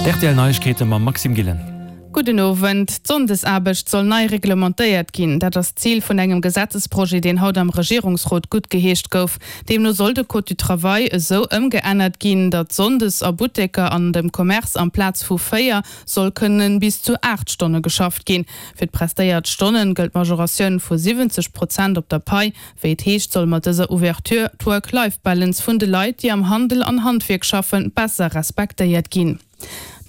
D'RTL Neiegkeete mam Maxime Gillen. Gudden Owend. D'Sonndesaarbecht soll nei reglementéiert ginn. Dat ass d'Zil vun engem Gesetzesprojet, deen haut am Regierungsrot guttgeheescht gouf. Deemno soll de Code du travail esou ëmgeännert ginn, datt sonndes a Butteker an dem Commerce amplaz vu 4 soll kënnen bis zu 8 Stonne geschafft ginn. Fir d'prestéiert Stonnen gëllt d'Majoratioun vu 70 Prozent op der Pai. Wéi et heescht, soll mat dëser Ouverture d'Work-Life-Balance vun de Leit, déi am Handel an Handwierk schaffen, besser respektéiert ginn.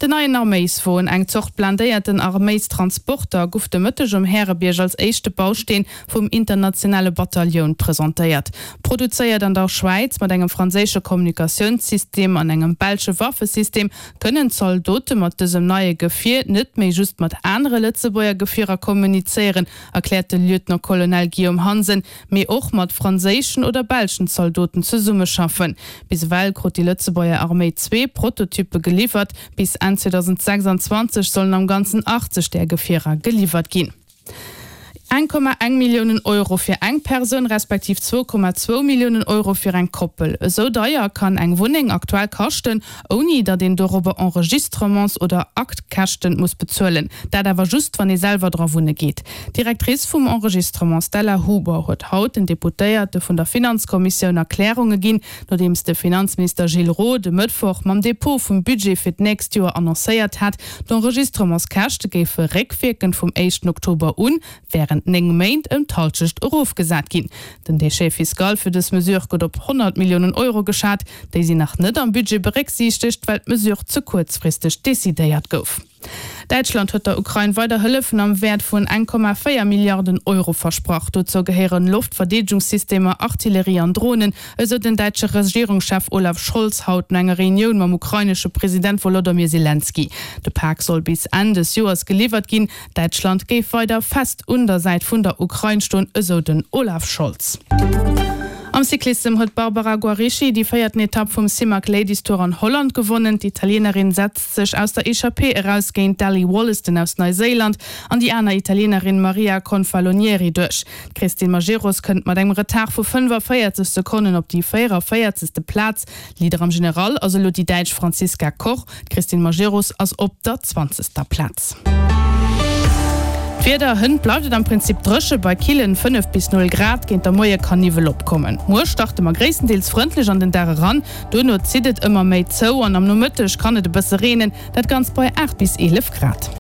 Den neien Arméiswon, eng Zort blindéierten Arméistransporter, guff de Mëtteg um Härebierg als éischte Bausteen vum internationale Batallioun presentéiert. Produzéiert an der Schwäiz mat engem franséische Kommunikatiounssystem an engem belsche Waffesystem, kënnen d'Zaldote mat dësem neie Gefier net méi just mat anere Lëtzebuerger Gefierer kommunizéieren, erkläert de Lieutenant-Colonel Guillaume Hansen, mee och mat franséischen oder belschen Zaldoten zesummeschaffen. Bis ewell krut déi Lëtzebuerger Arméi zwee Prototyppe geliwwert, bis Enn 2026 sollen am Ganzen 80 där Gefierer geliwwert ginn. 1,1 Milliounen Euro fir eng Persoun, respektiv 2,2 Milliounen Euro fir eng Koppel. Esou deier kann eng Wunneng aktuell kaschten, ouni datt een dorobber Enregistrements oder Aktkäschten muss bezuelen. Dat awer just, wann ee selwer dra wunne geet. D'Directrice vum Enregistrement Stella Huber huet haut den Deputéierte vun der Finanzkommissioun Erklärunge ginn, nodeems de Finanzminister Gilles Roth e Mëttwoch mam Depot vum Budget fir d'nächst Joer annoncéiert hat, d'Enregistrementskäschte géife réckwierkend vum éischten Oktober un wärend 9 Méint ëm d'Hallschecht erofgesat ginn. Den Déchet fiscal fir dës Mesure gëtt op 100 Milliounen Euro geschat. Déi sinn nach net am Budget berécksiichtegt, well d'Mesure ze kuerzfristeg decidéiert gouf. Däitschland huet der Ukrain weider Hëllefen am Wäert vun 1,4 Milliarden Euro versprach. Dozou gehéieren Loftverdeedegungssystemer, Artillerie an Dronen, esou den däitsche Regierungschef Olaf Scholz haut no enger Reunioun mam ukrainesche President Wolodomyr Selenskyj. De Pak soll bis Enn des Joers geliwwert ginn. Däitschland géif weider fest un der Säit vun der Ukrain stoen, esou den Olaf Scholz. Am Cyclissem huet d'Barbara Guarischi déi véierten Etapp vum Simac Ladies Tour an Holland gewonnen. D'Italienerin setzt sech aus der Echappée eraus géint d'Ally Wollaston aus Neiséiland an déi aner Italienerin Maria Confalonieri duerch. D'Christine Majerus kënnt mat engem Retard vu 45 Sekonnen op déi 44. Plaz. Leader am General ass elo déi Däitsch Franziska Koch. D'Christine Majerus ass op der zwanzegster Plaz. D'Wieder, Hënt bleift et am Prinzip dréche bei killen 5 bis 0 Grad, géint der Moie kann Niwwel opkommen. Muer starte mer gréisstendeels frëndlech an den Dag eran, duerno zitt et ëmmer méi zou an am Nomëtteg kann et e bësse reenen, dat Ganzt bei 8 bis 11 Grad.